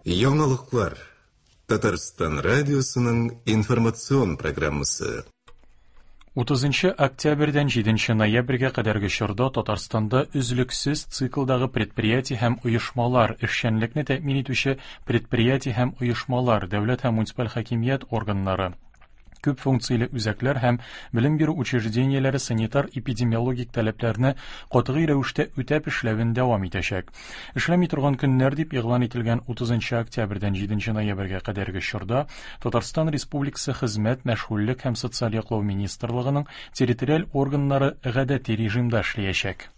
Яңалыклар. Татарстан радиосының информацион программасы. 30 октябрьдән 7 ноябрьгә кадәрге чорда Татарстанда өзлексез циклдагы предприятие һәм оешмалар, эшчәнлекне тәэмин итүче предприятие һәм оешмалар, дәүләт һәм муниципаль хакимият органнары, күп функцияле үзәкләр һәм белем бирү учреждениеләре санитар-эпидемиологик таләпләрне катгый рәвештә үтәп эшләвен дәвам итәчәк. Эшләми торган көннәр дип игълан ителгән 30 октябрьдән 7 ноябрьгә кадәрге чорда Татарстан Республикасы Хезмәт, мәшгульлек һәм социаль яклау министрлыгының территориаль органнары гадәти режимда эшләячәк.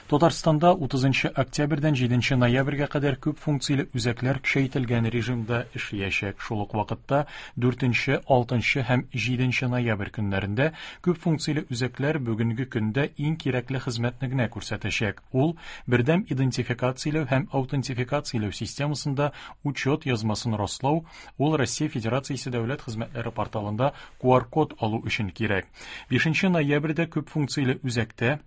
Татарстанда 30 октябрьдән 7 ноябрьгә кадәр күп функцияле үзәкләр көчәйтелгән режимда эшләячәк. Шул ук вакытта 4, 6 һәм 7 ноябрь көннәрендә күп функцияле үзәкләр бүгенге көндә иң кирәкле хезмәтне генә күрсәтәчәк. Ул бердәм идентификацияләү һәм аутентификацияләү системасында учет язмасын раслау, ул Россия Федерациясе дәүләт хезмәтләре порталында QR-код алу өчен кирәк. 5 ноябрьдә күп функцияле үзәктә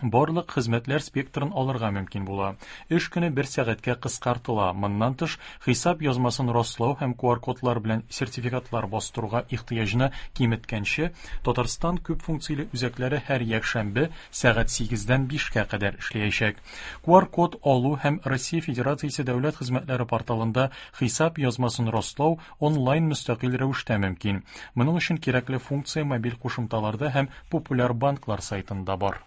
барлык хезмәтләр спектрын алырга мөмкин була. Эш көне бер сәгатькә кыскартыла. Моннан тыш, хисап язмасын раслау һәм QR-кодлар белән сертификатлар бастыруга ихтыяҗны киметкәнче, Татарстан күп функцияле үзәкләре һәр якшәмбе сәгать 8-дән 5-кә кадәр эшләячәк. QR-код алу һәм Россия Федерациясе дәүләт хезмәтләре порталында хисап язмасын раслау онлайн мөстәкыйль рәвештә мөмкин. Моның өчен кирәкле функция мобиль кушымталарда һәм популяр банклар сайтында бар.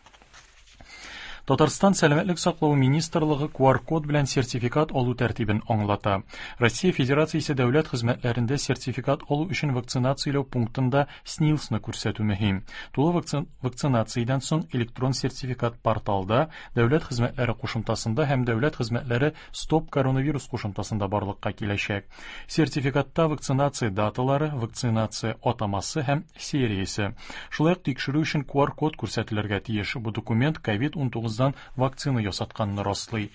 Татарстан Сәламәтлек саклау министрлыгы QR-код белән сертификат алу тәртибен аңлата. Россия Федерациясе дәүләт хезмәтләрендә сертификат алу өчен вакцинацияләү пунктында СНИЛСны күрсәтү мөһим. Тулы вакцинациядән соң электрон сертификат порталда, дәүләт хезмәтләре кушымтасында һәм дәүләт хезмәтләре Стоп коронавирус кушымтасында барлыкка киләчәк. Сертификатта вакцинация даталары, вакцинация атамасы һәм сериясе. Шулай ук тикшерү өчен QR-код күрсәтелергә тиеш. Бу документ COVID-19-дан вакцина ясатканны раслый.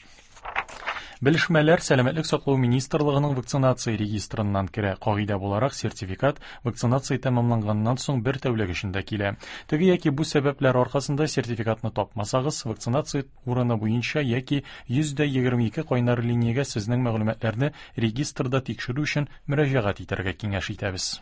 Белешмәләр Сәламәтлек саклау министрлыгының вакцинация регистрыннан керә. Кагыйдә буларак, сертификат вакцинация тәмамланганнан соң бер тәүлек эчендә килә. Теге яки бу сәбәпләр аркасында сертификатны тапмасагыз, вакцинация урыны буенча яки 122 кайнар линиягә сезнең мәгълүматларны регистрда тикшерү өчен мөрәҗәгать итәргә киңәш итәбез.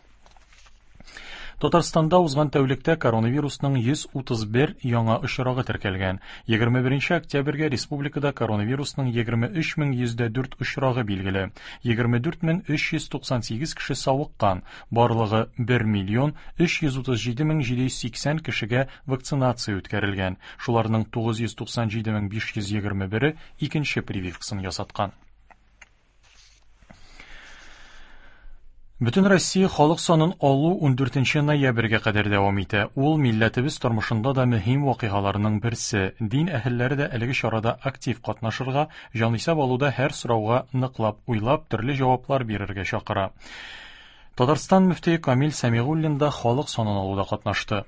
Татарстанда узган тәүлектә коронавирусның 131 яңа очрагы теркәлгән. 21 октябрьгә республикада коронавирусның 23104 очрагы билгеле. 24398 кеше савыккан. Барлыгы 1 миллион 337 780 кешегә вакцинация үткәрелгән. Шуларның 997 521-е икенче прививкасын ясаткан. Бөтен Россия халык санын алу 14 ноябрьгә кадәр дәвам итә. Ул милләтебез тормышында да мөһим вакыйгаларның берсе. Дин әһелләре дә әлеге чарада актив катнашырга, җанисәп алуда һәр сорауга ныклап уйлап, төрле җаваплар бирергә чакыра. Татарстан мөфтие Камил Сәмигуллин да халык санын алуда катнашты.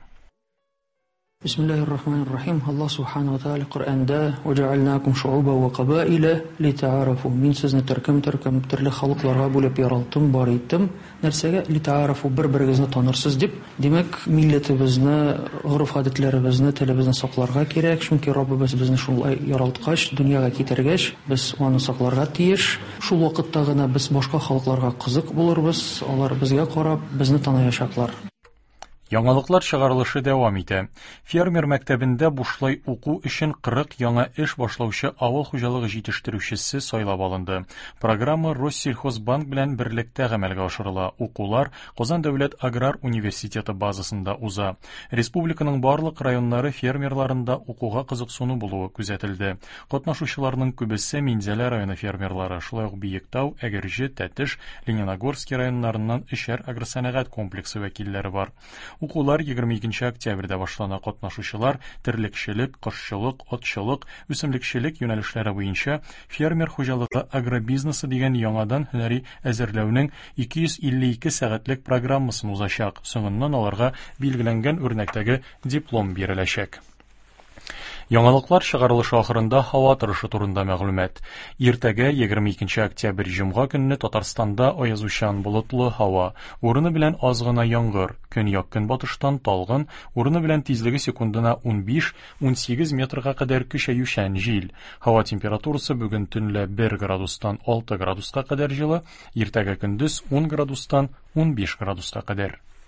Бисмиллахир-рахманир-рахим. Аллаһ субхана ва тааля Коръәндә: "Ваҗаалнакум шууба ва кабаиля литаарафу". Мин сезне төркем-төркем төрле халыкларга бүлеп яралттым, бар иттем. Нәрсәгә? Литаарафу, бер-берегезне танырсыз дип. Димәк, милләтебезне, гореф-гадәтләребезне, телебезне сакларга кирәк, чөнки Раббыбыз безне шулай яралткач, дөньяга китергәч, без аны сакларга тиеш. Шул вакытта гына без башка халыкларга кызык булырбыз, алар безгә карап, безне таныячаклар. Яңалыклар чыгарылышы дәвам итә. Фермер мәктәбендә бушлай уку өчен 40 яңа эш башлаучы авыл хуҗалыгы җитештерүчесе сайлап алынды. Программа Россельхозбанк белән берлектә гамәлгә ашырыла. Укулар Казан дәүләт аграр университеты базасында уза. Республиканың барлык районнары фермерларында укуга кызыксыну булуы күзәтелде. Катнашучыларның күбесе Минзәлә районы фермерлары, шулай ук Биектау, Әгерҗе, Тәтеш, Лениногорский районнарыннан өчәр агросәнәгать комплексы вәкилләре бар. Укулар 22 октябрьдә башлана. Катнашучылар терлекчелек, кошчылык, атчылык, үсемлекчелек юнәлешләре буенча фермер хуҗалыгы агробизнесы дигән яңадан һөнәри әзерләүнең 252 сәгатьлек программасын узачак. Соңыннан аларга билгеләнгән үрнәктәге диплом биреләчәк. Яңалыклар чыгарылышы ахырында һава торышы турында мәгълүмат. Иртәгә 22 октябрь җомга көнне Татарстанда аязучан болытлы һава, урыны белән аз гына яңгыр, көньяк-көнбатыштан талгын, урыны белән тизлеге секундына 15-18 метрга кадәр көчәючән җил. Һава температурасы бүген төнлә 1 градустан 6 градуска кадәр җылы, иртәгә көндез 10 градустан 15 градуска кадәр.